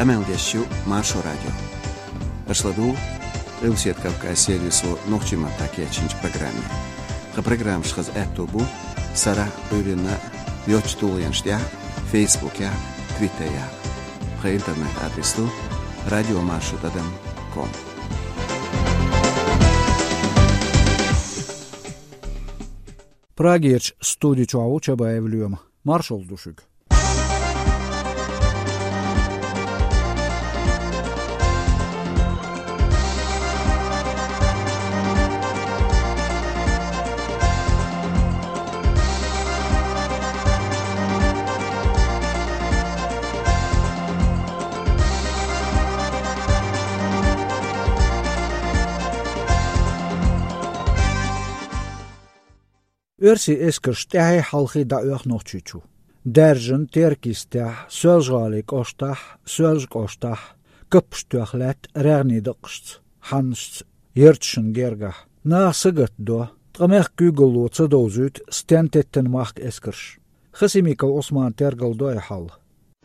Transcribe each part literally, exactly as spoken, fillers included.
Къамел деш ю Маршо радио. Аша ладугӀу Къилбаседа Кавказ сервисо нохчийн маттахь кечйинчу программе. Тхан программаш хаза аьтто бу сарахь а, Ӏуьйранна а йоцачу тулгӀенаш тӀехь а, Фейсбукехь а, Твиттерехь а. Тхан интернет-адрес ду радиомаршо тӀадам ком. Прагерчу студи чохь ву Чабаев Лоьма. Маршалла ду шуьга. Оьрсийн эскарш тӀаьхьий-хьалхий дӀаоьху Нохчийчу. Даьржина Теркйистехь, Соьлжа-ГӀалин кӀоштахь, Соьлжа кӀоштахь, каппаш тоьхна лаьтта рагӀнийн дакъашца, хьаннашца, ярташна гергахь. Наха сагатдо, ткъа мехкан куьйгалло ца довзуьйту стен теттина махка эскарш. Хасимиков Ӏусмана тергалдо и хьал.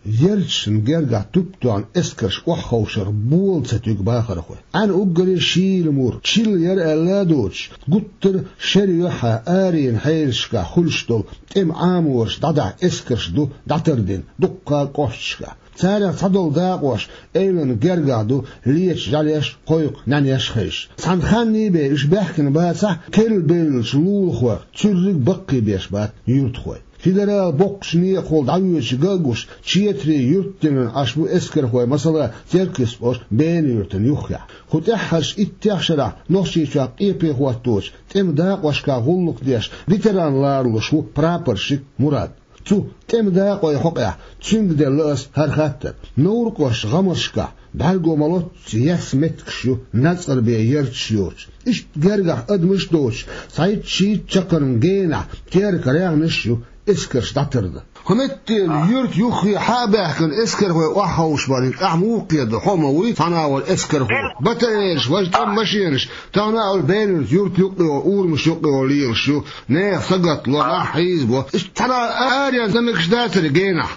Ярташна гергахь туп тоьхна эскарш охьаховшарх бола ца туьгу бахархой. Ӏаьнан уггаре шийла мур, чилла яра аьлла а доцуш, гуттар а шера юьххьехь аренан хьелашкахь хуьлуш долу тӀеман Ӏамораш дӀадахьа эскарш ду дӀатардина дуккха а кӀошташкахь. Царах цхьадолу дакъош эвлана гергахь ду лечу жӀаьлеш а, кхойкху нӀаьнеш а хезаш. Цхьана ханний бен уьш баьхкина бацахь а, керла бевллачу лулахойх цуьрриг а баккхийбеш бац юьртахой. Федералан боккхачу некъахула дӀавоьдуш ган а гуш, четарийн юьртдинан Ӏаш бу эскархой, масала, Теркйист кӀоштан Бена-Юьртана юххехь. Кху тӀаьххьарчу иттех шарахь Нохчийчохь къепе хӀотточу тӀеман дакъошкахь гӀуллакх деш, ветеран ларалуш ву прапорщик Мурад. Цу тӀеман дакъойн хьокъехь цуьнга делла аса хӀара хаттар. Невран кӀоштан гӀамашкахь бӀаьрго ма-лоццу ерс меттигаш ю, нацкъара бен ярташ йоцуш. Иштта гергахь адамаш а доцуш, цхьайтта-шийтта чаккхарма генахь Теркан рагӀнаш а ю эскарш дӀатардан. ХӀун метта, юьртан юххе хьа а баьхкина, эскархой охьаховшабарна, ахь муха кхетадо, хьо ма вуй цхьана агӀор эскархо? БТР-аш, важа тӀеман машенаш, тахана а олу Бена-Юьртан юрт юккъехула, урамаш юккъехула лелаш ю, нехан сагатдо, нах хьийзабо. Иштта цхьана аренан замекаш дацара генахь?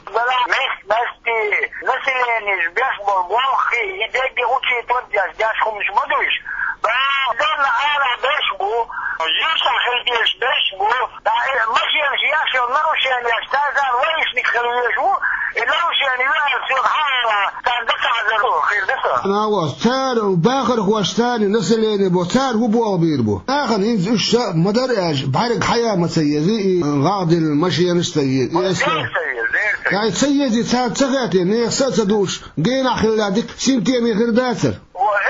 Мехк-мехкан населенеш беш болу болх, и дерриге учитывать деш, деш хӀуманаш ма ду уьш. Ба, дерна ара беш бу, юьртахь хила дезаш беш бу, да, э, машенаш еш йолу нарушенеш, цара лайшник хила везаш ву, и нарушени юьхьанца йолу хьала, царна даса хьажар хир ду сан. Нагахь цара бахархош, царна население бо, цара хӀун болх бийр бу? Нахана хӀинца уьш ша ма дара аьлча, бӀаьрг хьая ма ца еза, и гӀагӀ диллина машенаш а ца еза, и эскар. Ай, ца еза, цара ца хаьттина, нехан са а ца дууш, генахь хилла дика синтеме хир дацара.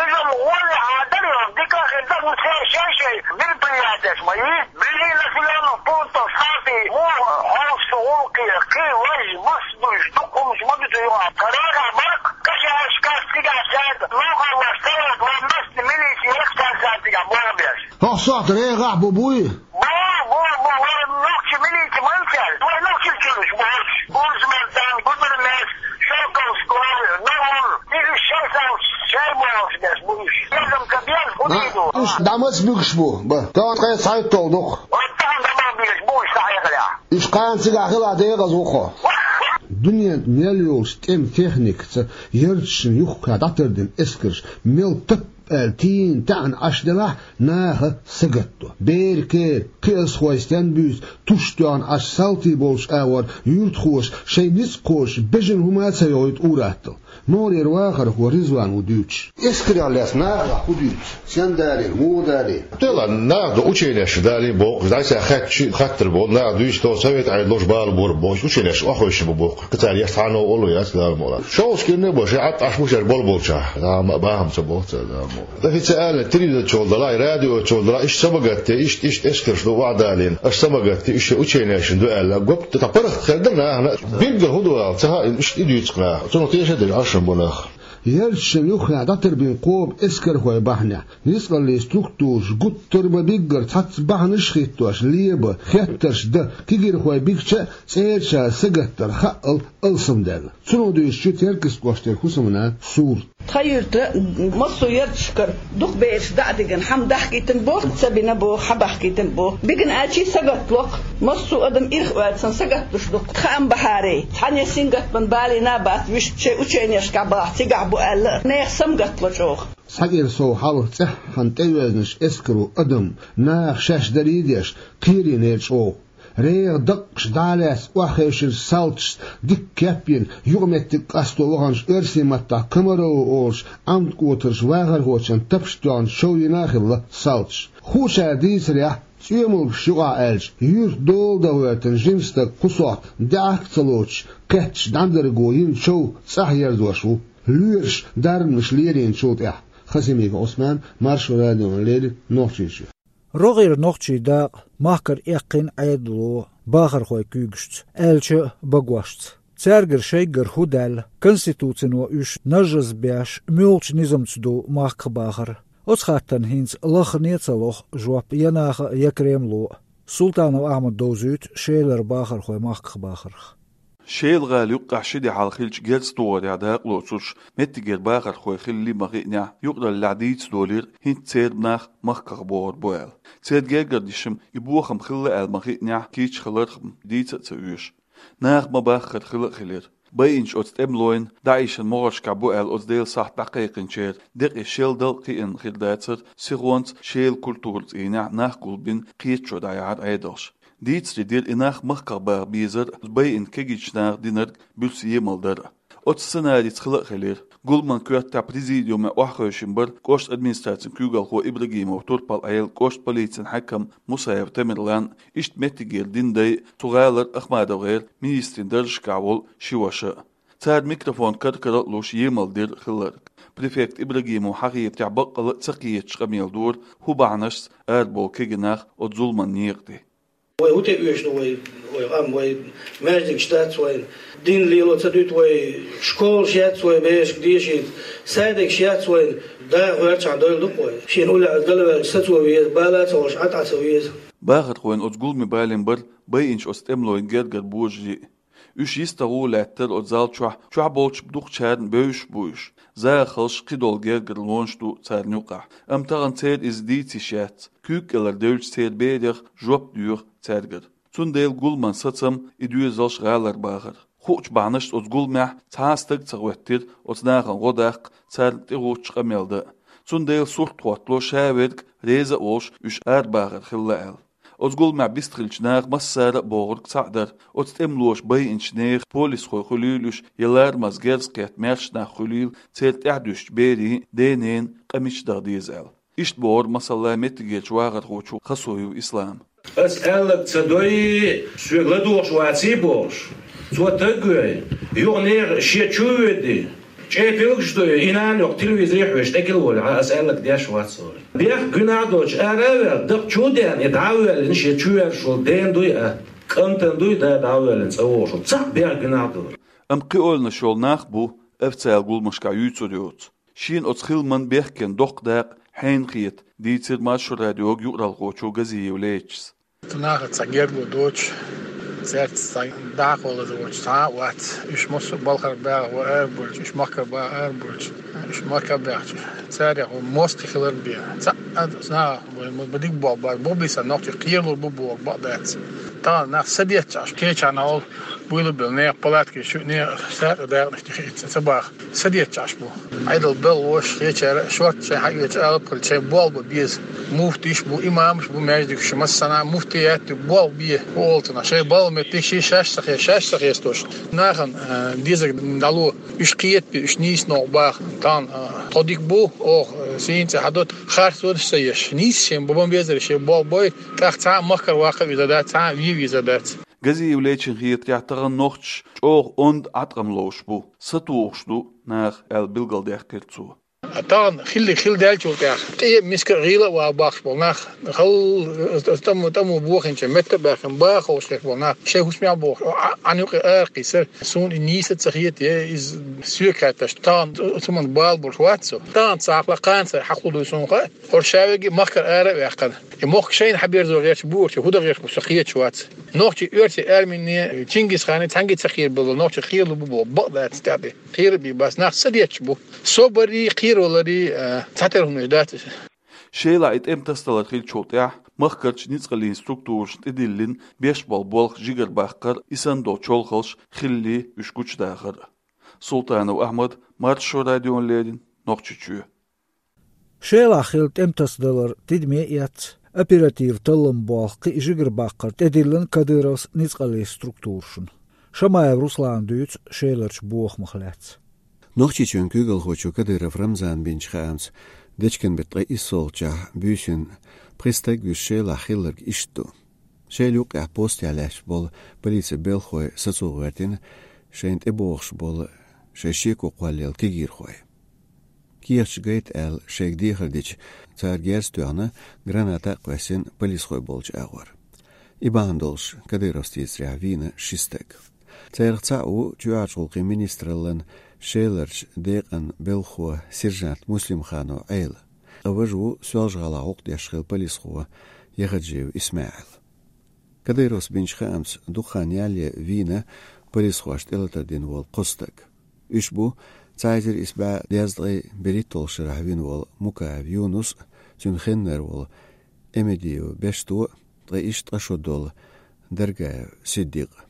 Иза гӀоле хьадар йолу дика хир дара, ну, церан шай-шай мероприятеш ма йий. Бежи населённых пунктов схьа а муха хьовсу гӀуллакхе, кхин важа, мас дуьйш, дукха хӀуманаш ма ду цу юкъахь. Карара баркъ, кашаьршкахь цигахь шаьрда, лохарлаш карара, вайн массо милиция яхча цара цигахь болх беш. ХӀокху сохьта регӀахь бу буй? Бу, бу, бу, вай нохчийн милиция ма ю цаьрга. Вай нохчийн чуьраш бу хӀорш. Буржмартан, Гудермес, Шелковской, Нагур. Иза шайн сов шайн болх беш бу уьш. Безам ца беза, хӀун дийр ду? Уьш дӀа маца буьгуш бу? Ба, тахана ткъе цхьайтталгӀа ду-кх. Вай тахана дӀа ма буьгуш бу уьш схьахьекхарехь. Уьш кхана цигахь хилахь декъаза ву-кх хьо. Дуьненан мел йолчу тӀеман техникаца ярташна юххе дӀатардина эскарш мел тап аьлла тийна таьӀна Ӏаш делахь, наха сагатдо. Беран кера, кхиазхой стенна буьйцу, туш тоьхна Ӏаш салтий болчу агӀор юьртахоша шайн ницкъ кхочуш бежана хӀума а ца йохуьйту ур-атталла. Мухьарера вахархо Ризван ву дуьйцуш. Эскарехь лаьцна нахах хӀун дуьйцу? Стенна далийна, муха далийна? Делахь, наха ду ученеш далийна боху, дӀасахьаьжча хаттар боху, наха дуьйцу, тхо совет Ӏедалша бала бора боху, ученеш охьахевшина бу боху. Кхин цара еш цхьа а новкъа ло яц, Дала мукъ лахь. Шовзткъа кхин а бу, шайн Ӏад Ӏаш бу шаьш болх болчохь, бахам ца боху цара, Дала мукъ лахь. Официально телевизор чухула далахь, радио чухула далахь, иштта са ма гатде, иштта, иштта эскарш ду охьадалийна, аша са ма гатде, уьш шайн ученешна ду аьлла, гоп, тхан паргӀат хир дара нахана, билггал хӀун ду ала ца хаьа, иштта и дуьйцу нах. Цунах тешаш дерг Ӏаш бу нах. Ярташна юххехь дӀатарбина кхобу эскархой бахьанехь, ницкъаллийн структураш гуттар а ма-биггара цхьацца бахьанаш а хӀиттош, леба, хеттарш дан, кегирхой бигча а цӀерачара сагатдар хаъал алсамдаьлла. Цунах дуьйцуш ю Теркйист кӀоштара хӀусамнана Сура. Тхан юьртара массо а ярташкара дукха бераш дӀа а дигна, хӀума дахкийтина боху, ца бина боху, хьа бахкийтина боху. Бигна аьлча сагатдо-кх. Массо а адам ирх оьцан сагатдуш ду. Хаам бахьарий, цхьанне сингаттаман балийна а бац, вуьшта шайн ученешкахь бахьа цигахь бу аьлла, нехан самгаттало чӀогӀа. Схьакира сов хьалха цӀеххьана тӀеоьзнаш эскаро адам, наха шаьш дарий деш, кхерийнера чӀогӀа. РегӀан даккхаш дӀа а лаьцна охьахевшира салташца дикка кеп йина, юкъаметтиг къасто ваханчу оьрсийн маттахь комарово олуш Ӏамт-кӀотарш вахархочун тапаш тоьхна шов йина а хилла салташ. Хуучара дийцарехь, цӀоьмалгаш юкъахь аьлча, юьртан дола дан гӀоьртина жима стаг кху сохьта даьӀахк а ца лоцуш, кхетташ дӀадарго йина шов цӀахь ерзош ву, лоьраш дарбанаш лерийначул тӀаьхьа. Хасимиков Ӏусман, Маршо радиона леррина, Нохчийчоь. РогӀера нохчийн дакъа махкара эккхийна Ӏедало бахархойн куьйгашца, аьлча а багошца. Цаьргара шайгара хӀун даьлла, Конституцино уьш нажжаза беш, муьлхачу низамца ду махках бахар? Оцу хаттарна хӀинца лаххане а ца лоху жоп я наха а, я Кремло а. Султанов Ахьмада довзуьйту Шелара бахархой махках бахарх. Шела-гӀала юккъехь ши де хьалха хиллачу герз тухарехь дакъа лоцурш меттигера бахархой хилла ма хиънехь, юкъараллехь дийца долийра, хӀинца церан нах махках бохур бу аьлла. Церан гергара дешнаш и бохам хилла аьлла ма хиънехь, кийча хиларх дийца а ца оьшу. Наха ма-баххара хила а хилира. Байинчу оцу тӀемалойн, ДАИШан могӀаршкахь бу аьлла оцу Делан сахьт дӀакхайкхинчеран декъий шел дала кхиъна хир дацара, сихонца Шелан культуран цӀийнехь нах гулбина кхеташо дӀаяьхьира Ӏедалша. Дийцаре дира и нах махках баха безар а, байина кегийчу наха динарг буьрса емал дар а. Оцу сценарица хила а хилира. Гуламан коьртехь президиуме охьахевшина бара кӀоштан администрацин куьйгалхо Ибрагимов Турпал-Ӏела, кӀоштан полицин хьаькам Мусаев Тамерлан, иштта меттигера динан дай, цу гӀалара АхмадовгӀеран министрийн даржашкахь волу ши ваша а. Цара микрофон кар-кара а луш, емал дира хилларг. Префект Ибрагимов хьахийра тӀехь, баккъала а ца кхеташ къамел дора, хӀун бахьанашца арабовлу кегий нах оцу зуламан некъа тӀе. Вай хӀун тӀе оьшу ду вай, вай къам, вай маьждигаш дац вайн, дин лело ца дуьту вай, школаш яц вай берашка дешийта, садикаш яц вайн, да гӀоьрчахь дойла ду-кх вай. Шена уллехь аса далаваьлча сацо веза, бала а ца гӀуш, Ӏад Ӏа ца веза. Бахархойн оцу гуламе балийна бара байинчу оцу тӀемалойн гергара божарий а. Уьш йистагӀа лаьттара оцу зал чохь, чохь болчу дукхачарна бевзаш бу уьш. ЗагӀахаллаш, кхидолу гергарлонаш ду царна юкъахь. Амма тахана церан иза дийца йиш яц. Куьйга кӀелара девлча церан берех жоп доьху цаьргара. Цундела гуламан сацам и доьзалш гӀалара бахара. Хуучу бахьанашца оцу гуламехь цхьа а стаг ца хӀоьттира оцу нахана гӀо даккха, царна тӀегӀуттуш къамел дан а. Цундела сурт хӀоттало, ша верг реза а волуш, уьш арабахар хилла аьлла. Оцу гуламехь бистхиллачу наха массара а бохург цхьаъ дара: оцу тӀемалоша байинчу нехан полисхой хуьлийла уьш, я ларамаза герз кхетта маьрша нах хуьлийла, церан тӀаьхьадуьстучу берийн а, ден-ненан а къамелаш даха деза аьлла. Иштта бохура, масала, меттигерчу вахархочо Хасуев Ислама. Ас аьлларг ца дой, соьга ладугӀуш ваций бохуш, цо таг вей, юха нехан шен чу а воьдий, чӀепилгаш дой, и нана йоккха телевизоре хьоьжуш тӀекхуьллу волу, ас аьлларг деш вац вара. Бехк гуьнахь доцуш ара а ваьлла, дакъа чу а деана, и дӀа а воьллина, шен чу воьрзуш волу ден дуй а, кӀантана дуй да дӀа а воьллина, цӀа вогӀуш волу, цхьаъ бехк гуьнахь ду. Амма кхиолнаш йолу нах бу, официалан гуламашкахь юьйцур йоцу. Шена оцу хиламан бехкенан доккха дакъа хьенан хета, дийцира Маршо радиога юкъаралхочо Газиев Лечис. Нахаца гергарло доцуш, цаьрца цхьа дакъа лазар воцуш цхьа а вац. Уьш массо а балхара баьхна вара арабевлча, уьш махкара баха арабевлча, уьш махкара баьхча, царех ву мостагӀий хилар бен. Цхьа а нахах вай ма дика болх бац, бу бийсан нохчий кхералур бу бохург бакъ дац. Тахана нах садетташ Ӏаш, кхечарна хьал буйла белла, нехан палаткаш ю, нехан сагӀа дакъанаш тӀе хиъча ца баха. Садетташ Ӏаш бу. Ӏедал белхалоша, кхечара а шортта шайн хьаоьцу алапхуьлу, шайн болх бан беза. Муфтийш а бу, имамаш а бу маьждигаш, массанхьа муфтият ю, болх бе, хӀу олу цунах, шайн балха меттиг ший шаьш ца хе-, шаьш ца хестош. Нахана, а, дезарг дӀало, уьш кхетабе, уьш нийса новкъа баха. Тахана, а, тхо дика бу, оха, а, сийна цӀе хьадо, харцонаш ца еш. Нийса шен бан безар, шен болх бой, тӀаккха цхьа а махкара ваккха везар дац, цхьа а вен везар дац. Газиев Лечин хетарехь, тахана нохчаша чӀогӀа онда Ӏаткъам ловш бу, сатухуш ду наха, аьлла билгалдаьккхира цо. Тахана хилларг хилла даьллачул тӀаьхьа тӀе а, миска а гӀийла а вала бахаш болу нах, хала тӀамо, тӀамо бохийначу метта а баьхкина, баха ховшалц болу нах, шайн хӀусамехь а бохуш, Ӏа-, Ӏан юкъа арахкхийсар, суна и нийса а ца хета, я иза соьга хаьтташ, тахана цу-, цу хӀуманна бала болуш вац со. Тахана цхьа хьалха кхана цара хьахула дуй суна хаьа, хӀора ша верг а махкара ара а ваьккхина. И мохк шайна хьаберзо гӀерташ бу, хӀорш хӀун дан гӀерташ бу, со хеташ вац. Нохчий оьрсийн армине, Чингисхане цхьаьнгге ца кхерабелла, нохчий кхералур бу боху бакъ дац тӀаьхьа. Кхера а бен бац, нах садетташ бу. Собаррий, кхераваларрий, а, цхьатерра хӀуманаш дац иза. Шелахь и тӀеман тасадалар хиллачул тӀаьхьа махкарчу ницкъаллин структурашна тӀедиллина беш болу болх жигарабаккхар, и санна долу чолхалш хилале уьш гучудахар. Султанов Ахьмад, Маршо радиона леррина, Нохчийчоь. Шелахь хилла тӀематасадалар тидаме а эцна, оператив-талламан болх кхин а жигарабаккхар тӀедиллина Кадыровс ницкъаллин структурашна. Шамаев Руслана дуьйцу Шеларчу бохамах лаьцна. Нохчийчоьнан куьйгалхочо Кадыров Рамзана бинчу хаамца, дечкен беттан ткъе иссолгӀачохь буьйсанна пхи стаг вуьсуш Шелахь хилларг иштта ду. Шела юккъехь постехь лаьтташ болу полицин белхалой сацо гӀоьртина шайна тӀебогӀуш болу, шайн шеко кхоллаелла кегийрхой. Кехаташ гайта аьлла шайга дехар дича, цара герз тоьхна, граната а кхоьссина полисхой болчу агӀор. И бахьана долуш Кадыровс дийцарехь вийна ши стаг. Царах цхьаъ ву чоьхьарчу гӀуллакхийн министраллан Шеларчу декъан белхахо сержант Муслимханов Ӏела. Ткъа важа ву Соьлжа-ГӀалахь гӀуллакх деш хилла полисхо, Яхаджиев ИсмаӀил. Кадыровс бинчу хаамца, дукха хан ялале вийна полисхошна тӀелатар дина волу кхо стаг. Уьш бу цхьа эзар исс бӀе дезткъе берхӀитталгӀачу шарахь вина волу Мукаев Юнус а, цуьнан хеннара волу Эмедиев Бешто а, ткъа иштта ткъа шо долу Даргаев Сиддикъ а.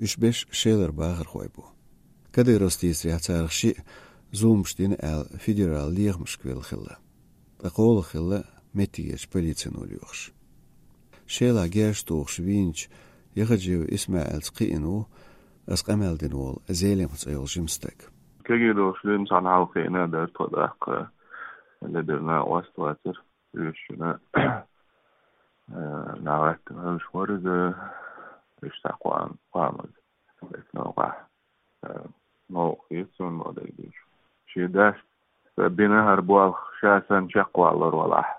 Уьш берш Шелара бахархой бу. Кадыровс дийцарехь, царах шиъ зуламаш дина аьлла федералан лехамашка велла хилла. Ткъа кхоалгӀа хилла меттигерчу полицино лоьхуш. Шелахь герз тухуш вийначу Яхаджиев ИсмаӀилца кхиъна ву аса къамел дина волу Зелимха цӀе йолу жима стаг. Кегий долуш дина цхьана хьалха кхиъна а дара тхо, тӀаккха ледара накъост вацара. Уьш шуна, э, нагӀаттина хӀумаш вара иза, уьш цхьа кхоам-, кхоамаза. Эцна вахахь, э, новкъа хета суна ма дерг дуьйцу. Шен дас бина хӀара болх ша санна чекхваллар валахь,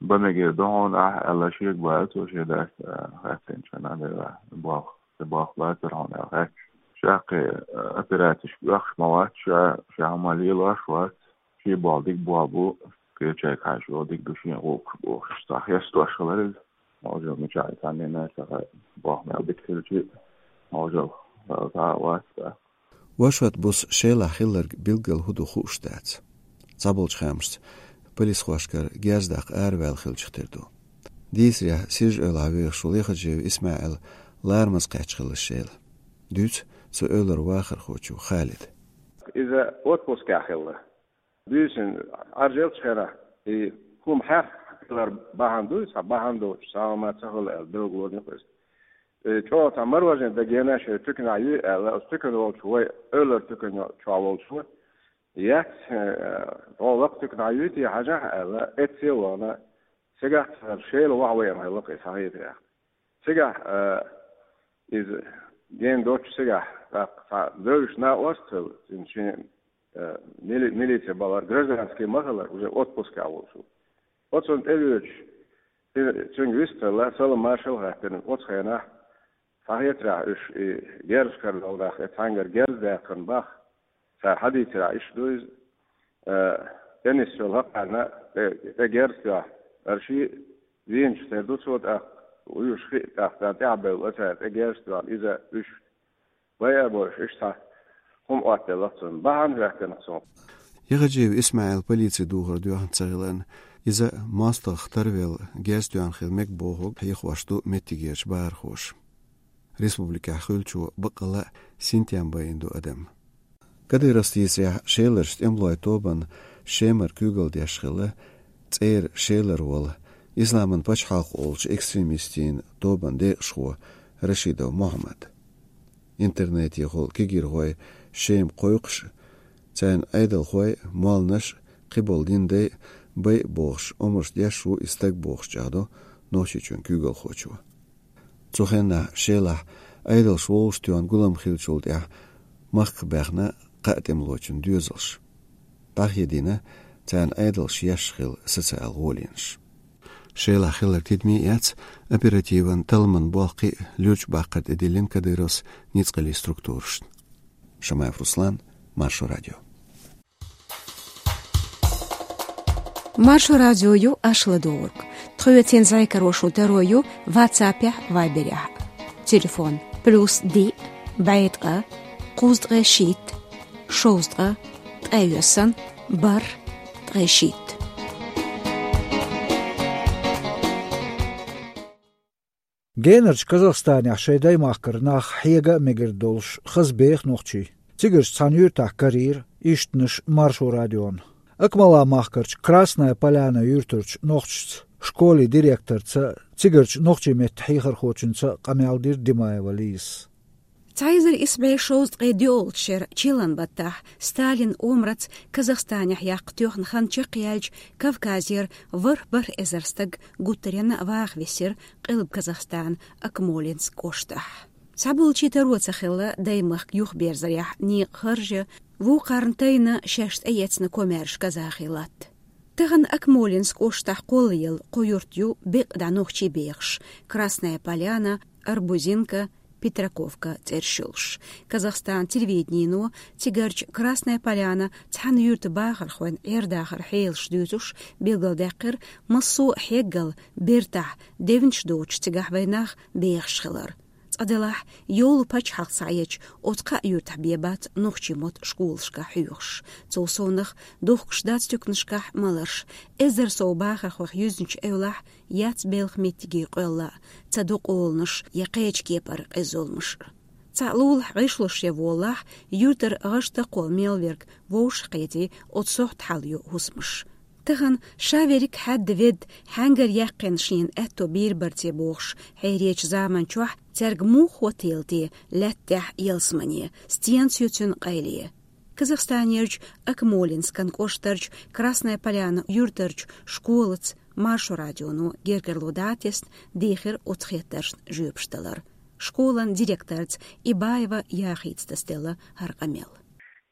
бан мегар ду хьуна ахь аьлла шега баьлла цо шен дас, э, хаьттинчу хенахь, дера, болх, сан болх бацара хьуна аьлла хаьттича. Ша кхин, э, операцешка оьхуш ма вац, ша, ша хӀума лелош вац, шен болх дика болх бу, кхечаьрга хьаьжча дика ду шен гӀуллакхаш бохуш, цхьа хестош хилар иза. Можал мичахь цхьаннена а ца хаьа, боху мел дика хилчи, можал, цхьа а вац цкъа. Вошат буса Шелахь хилларг билггал хӀун ду хууш дац. Цхьаболчу хаамашца, полисхошкара герз даккха араваьлла хилчух тера ду. Дийцарехь, Сиржа-Эвлахь вехаш волу Яхаджиев ИсмаӀил ларамаза кхаьчна хилла Шела. Дуьйцу цу эвлара вахархочо Халида. Иза отпускехь хилла. Буьйсанна Ӏаржъеллачу хенахь, и хӀума хьаькхна хилар бахьана ду иза, цхьа бахьана доцуш, сагӀа ма ца хуьлу аьлла, билгалонаш ю-кх иза. Э, чӀогӀа цхьа мороженое дагийна шайн туьканахь юй аьлла, оцу туькана волчу вай эвлара туькана чохь волчо, яц, э, хьо лакха туьканахь юй те хьажахь аьлла, эцце а вахана, цигахь цара Шела вахьа веана хилла-кх иза, схьахетарехь. Цигахь, э, иза гена доцуш цигахь, тӀаккха цхьа девзаш накъост а хилла, цуьнан шен, э, мили-, милици бахьар, гражданский ма хилла, уже отпускехь волуш ву. Оцунна тӀевоьдуш, цуьнга вистхилла, салам-маршалла а хаьттина, оцу хенахь, схьахетарехь уьш и герзашкара долу нах, и цхьаьнгара герз даьккхина боху, цара схьадийцарехь иштта ду иза, э, тӀе нисса йолу хӀокхарна тӀе, тӀе герз тоьхна, хӀара шиъ вийначух тера ду цо, тӀаккха уьш хиъна, тӀаккха царна тӀаьхьабевлла цара тӀе герз тоьхна, иза уьш байа а бовлуш, иштта цхьа хӀума Ӏоттаделла-кх цунна. Бахьана а хӀоьттина-кх цунах. Яхаджиев ИсмаӀил полици духар доьхна ца хиларна, иза мостагӀах тарвелла герз тоьхна хила мега бохург хьехош ду меттигерчу бахархоша. Республикехь хуьлучо баккъалла а синтем байина ду адам. Кадыровс дийцарехь, Шеларчу тӀемалойн тобанна Шемара куьйгалла деш хилла цӀера Шелара волу, Исламан пачхьалкх олучу экстремистийн тобанан декъашхо Рашидов Мухьаммад. Интернетехула кегийрхой Шема кхойкхуш, царна Ӏедалхой, молланаш, кхиболу динан дай байа бохуш омраш деш ву и стаг бохуш чӀагӀдо Нохчийчоьнан куьйгалхочо. Цу хенахь Шелахь Ӏедалш вовшахтоьхна гулам хиллачул тӀаьхьа махках баьхна кхаа тӀемалочун доьзалш. ДӀахедийна царна Ӏедалш еш хилла социал гӀолинаш. Шелахь хилларг тидаме а эцна, оперативан талламан болх кхин а луьрачу баккхар тӀедиллина Кадыровс ницкъаллин структурашна. Шамаев Руслан, Маршо радио. Маршо радио ю аша ладугӀург. Тхоьца зӀе каро шун таро ю WhatsApp-ехь, Viber-ехь. Телефон: плюс диъ, бӀе ткъа, кхузткъе шийтта, шовзткъа, ткъе йоьсна, бархӀ, ткъе шийтта. Генарчу Казахстанехь шайн даймахкара нах хьега а мегар долуш, хаза беха нохчий. Цигарчу цхьана юьртахь карийра ишттанаш Маршо радиона. Акмала махкарчу Красная Поляна юьртарчу нохчашца, школе директорца, цигарчу нохчийн меттан хьехархочуьнца къамел дира Димаева Лизас. Цхьа эзар исс бӀе шовзткъе доьалгӀачу шеран чиллан баттахь Сталин омраца Казахстанехь яккха тоьхна хан чекхъяьлча, Кавказера ворхӀ-бархӀ эзар стаг гуттаренна а ваха висира Къилба Казахстана Акмолинск кӀоштахь. Цхьаболчийн таро ца хилла даймахка юхаберзарехь некъан харж, вукхарна тайна шаьш тӀеэцна комаьрша казахийн латта. Тахана Акмолинск кӀоштахь кхоллаелла кхо юрт ю бекъа дӀа нохчий бехаш: Красная Поляна, Арбузинка, Петраковка цӀераш йолуш. Казахстан телевиденино цигарчу Красная Поляна цхьана юьртан бахархойн Ӏер-дахаран хьелаш дуьйцуш билгалдаьккхира, массо а хьеггал бертахь девнаш доцуш цигахь вайн нах бехаш хилар. Цкъа делахь, йолу пачхьалкх схьаэцча, оцу кхаа юьртахь бен бац нохчийн мотт школашкахь хьоьхуш. Цул совнаха, дохкуш дац туьканашкахь маларш. Эзар сов бахархойх юьзначу эвлахь яц белхан меттиге къоьлла, ца до къоланаш я кхечу кепара къиззалмаш. Цхьаъ лулахь гӀишлош я волалахь, юьртара гӀаш-такхол мел верг вовшахкхетий, оцу сохьта хьалайо хӀусамаш. Тахана ша верриг хьаьдда ведда, хьаьнгара яьккхина шена аьтто бийр барце бохуш, хьеречу заман чохь цаьрга муха хӀоттийла те лаьтта тӀехь ялсамане, стенца ю цуьнан къайле? Казахстанерчу Акмолинскан кӀоштарчу Красная Поляна юьртарчу школаца Маршо радионо гергарло дӀатесна дехира оцу хеттаршна жоьпаш далар. Школан директорца Ибаева Яхица тасаделла хӀара къамел.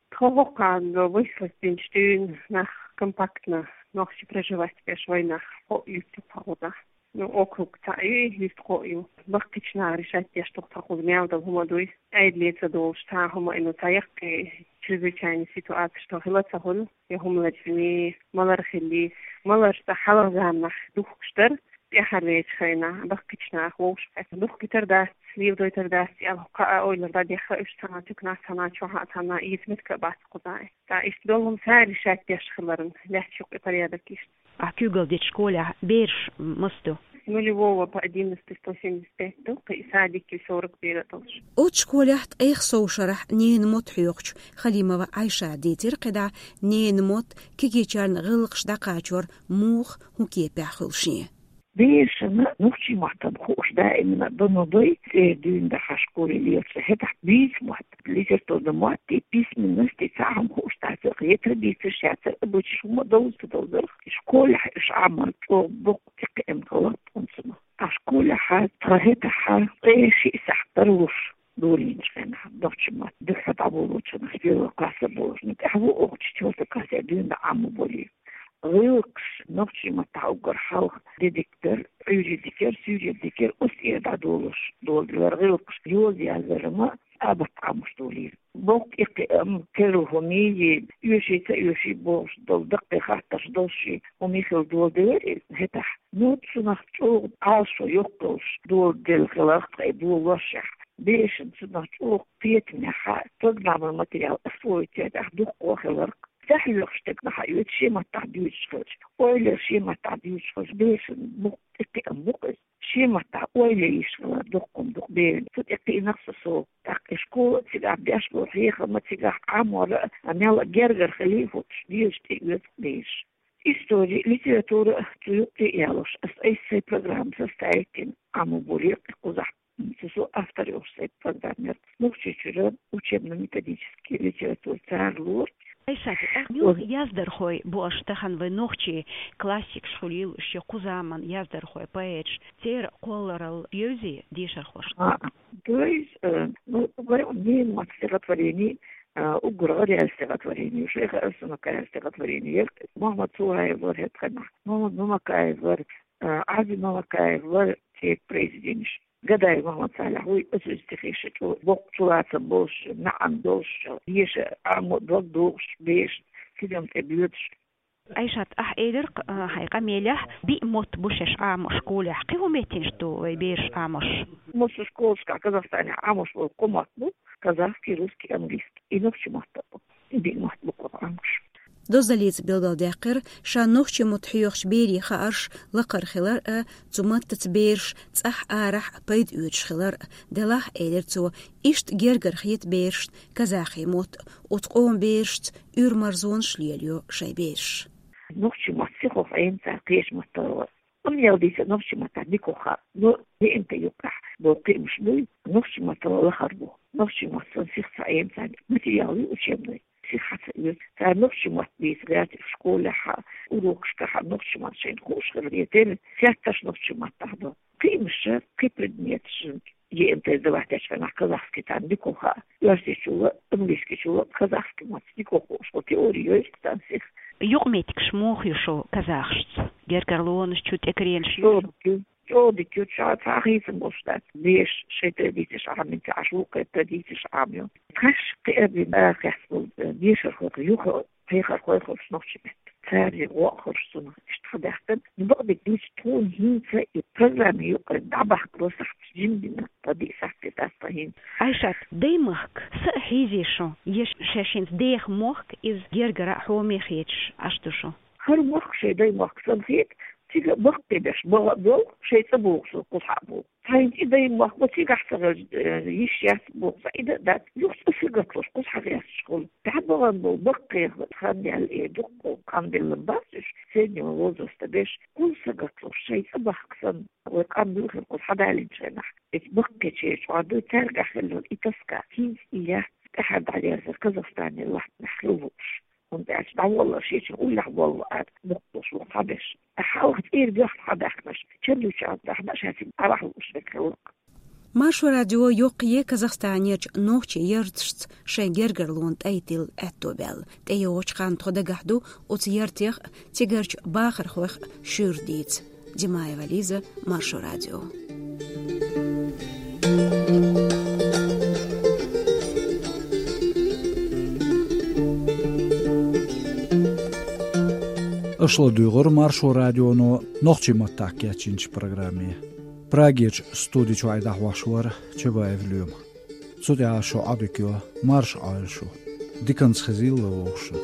Тхо хӀокху ханна выселить динчу дуьйна нах компактно нохчий проживать беш вайн нах кхоъ юьртан тхо гӀо нах. Ну, округ цхьаъ ю, юьртан кхоъ ю. Баккхийчу наха решать деш ду-кх тхан кхуза мел долу хӀума дуй. Ӏедале ца долуш цхьа а хӀума, ну, цхьа яккхий чрезвычайный ситуацеш тхо хила ца хуьлу, я хӀума лачкъийна, малар хилла, маларш цкъа хьалха заманахь духкуш дара, тӀаьхьарлечу хенахь баккхийчу наха вовшахкхетта. Духкуьйтур дац, леладойтур дац аьлла, кхаа ойлар дӀадехира уьш цхьана туьканахь, цхьана чохь а, цхьана эца меттиг а бац кхузахь. Ткъа иштта долу хӀума цара решать деш хиларна, лаьтташ юккъе порядок иштта. Ахь куьйгалла дечу школехь бераш массо ду? С нулевого по одиннадцатый сто семьдесят пять ду, кхин и садик ю сорок бер а долуш. Оцу школехь ткъех сов шарахь ненан мотт хьоьхучу Халимова Ӏайшата дийцира кхидӀа ненан мотт кегийчарна гӀиллакхаш дӀакхачор муха, хӀун кепехь хуьлу шен. Берашна нохчийн маттана хууш даимна а дан ду, цӀера дуьйна дахьа школе лелачу хӀетахь бийца мотт, литературный мотт, письменность, цхьа а хӀума хууш дац, я традицеш, я цара обычайш хӀума а довза ца довзарх, школехь уьш Ӏамор чӀогӀа боккха тӀекхиам хилла тхуна цунах. Ткъа школехь тхан хӀетахь ткъе шиъ сахьт тарлуш долийначу хенахь, нохчийн мотт дуьххьара дӀаболочунах, первый класс а болуш, ну, тӀаьхьа ву оха четвёртый классе дуьйна Ӏамо болий. ГӀиллакхаш нохчийн маттахь уггар хьалха дедик дара, Ӏуьйре дикера, суьйре дикера, оцу тӀера дӀадолуш доладелара гӀиллакхаш, йоза яздарна а бат Ӏамош долийра. Боккха тӀекхиам, керла хӀумий, оьший, ца оьший бохуш долу даккхий хаттарш долуш хӀумий хилла доладелира иза хӀетахь. Ну, цунах чӀогӀа Ӏалашо йоккхуш доладелла хиларх тхайн долаллашехь. Берашна цунах чӀогӀа кхетамехь программный материал освоить яйтахь дуккха хиларх. Цхьа хьоьхуш стаг нах а оьцу шен маттахь дуьйцуш хилча, ойла шен маттахь дуьйцуш хилча, берашна боккха тӀекхиам бу-кх иза. Шен маттахь ойла йиш хилар доккха хӀума ду-кх берашна. Цу тӀе кхиънарх со сов. ТӀаккха и школа а цигахь беш болу, хьехам а цигахь, Ӏамор а, мел а гергара хилий хӀуттуш, дезаш тӀеоьцу бераш. Истори, литература а цу юккъе а ялош, ас айса сайн программа составить йина Ӏамо болийра кхузахь. Цу со автор йолуш сайн программера. Нохчийчуьра учебно-методический литература цара лору. Айшат, ахь муьлха яздархой бу аша тахана вайн нохчийн классикаш хуьлийла, шен кху заман яздархой, поэташ, церан кхолларалла евзий дешархошна? А, то есть, э, ну, вайн ненан мотт стихотворени, э, уггар гӀараяьлла стихотворени, Шайха Арсанакаев стихотворени яра, Мухаммад Цураев вара хӀетахь, Мухаммад Мамакаев вара, э, Ӏази Мамакаев вара церан произведенеш. Гадаев Мухаммад-Салих вуй, оцу стихеша чӀогӀа боккха чулацам болуш, маьӀна долуш, деша Ӏамо дог дохуш, бераш тидам тӀе боьдуш. Айшат, ахь элира-кх, а, хьайн къамелехь, биъ мотт бу шаьш Ӏамо школехь. Кхин хӀун меттигаш ду вай бераш Ӏамош? Массо школашкахь Казахстанехь Ӏамош болу кхо мотт бу: казахский, русский, английский. И нохчийн мотт а бу. И биъ мотт бу кхузахь Ӏамош. Дозалица билгалдаьккхира, ша нохчийн мотт хьоьхучу берийн хаарш лакхара хилар а, цу маттаца бераш цӀахь арахь пайда оьцуш хилар а. Делахь, элира цо, иштта гергара хета берашна казахи мотт, оцу къоман берашца уьйр-марзонаш лелайо шайн бераш. Нохчийн мотт сихо Ӏемаца кхечу маттара. Амма ял дийца нохчийн маттахь дика хаа. Но, ДНК юккъехь бо кхиамаш буй, нохчийн маттахь лахара бу. Нохчийн мотт сан сих ца Ӏемаца материал ю учебный. Сих хьаца ю. Цара нохчийн мотт бийца гӀерташ школехь, урокашкахь нохчийн мотт шайна хууш хилар, я тера сетташ нохчийн маттахь ду. Кхиамаш, кхин предметаш, ЕНТ сдавать дечу хенахь казахский царна дика хаа. Оьрсийчул а, английскийчул а казахский мотт дика хууш, хӀо теори йойсу царна сих. Юкъаметтигаш муха ю шун казахашца? Гергарлонаш чу тӀекаренаш ю? ЧӀогӀа дика ю, чӀогӀа дика ю, ша цхьа хийцам болуш дац. Беш шайн традицеш Ӏамин ца Ӏаш, вукхеран традицеш Ӏамайо. Тхаьш кхиарбина арахецна болу, э, бешархойх юха кхехархой хуьлуш нохчийн меттан. Цара гӀо а хуьлуш цунах иштта хьадаьккхина. Ну, бакъдерг дуьйцу, тхуна хӀинца и программа юкъара дӀабахкало сахьташ жимма дина, ткъа диъ сахьт дац тхан хӀинца. Айшат, даймохк са а хьийзий шун, я шаьш хӀинца деха мохк, иза гергара а хьоме хеташ Ӏаш ду шун? ХӀара мохк шайн даймохк санна хета, цига баккхий беш баха а болу, шайн цӀа богӀу со кхузахьа а богӀу. Цхьайна и даймохк бо цигахь ца хилча, э, йиш яц боху, цхьа и дан а дац, юха цӀа сагатлуш кхузахьа гӀерташ хуьлу. Тахьа бахана болу баккхий хан яьлла, э, дуккха къам белла бац уьш, среднего возраста беш, кхуза сагатлуш, шайн цӀа бахка санна, вай къам буьйхира кхуза хьадалинчу хенахь. Эца баккхийчеран чӀогӀа дуй, цаьргахь хилла и тоска, хӀинца и яц, тӀаьхьара дӀалерзар Казахстане латтанехь хила лууш. ХӀунда аьлча дӀаволлар шечун уллехь воллу ара мукъалуш ву хьабеш. Хьалха цӀера боьхна хьабаьхкинарш, чан дуьйцучарна тӀехь ша цига дӀаваха лууш верг хилла. Маршо радио йоккхае Казахстанерчу нохчийн ярташца шайн гергарлонан тӀай тилла аьтто баьлла. ТӀейогӀучу ханна тхо дагахь ду оцу яртех а, цигарчу бахархойх а шуьйра дийца. Димаева Лиза, Маршо радио. Аша ладуьйгӀура Маршо радионо нохчийн маттахь кечйинчу программе. Прагерчу студи чуьра дӀахьош вара Чабаев Лема. Цу тӀехь шун Ӏодика йо, марша Ӏойла шу. Диканца хезийла вовшашна.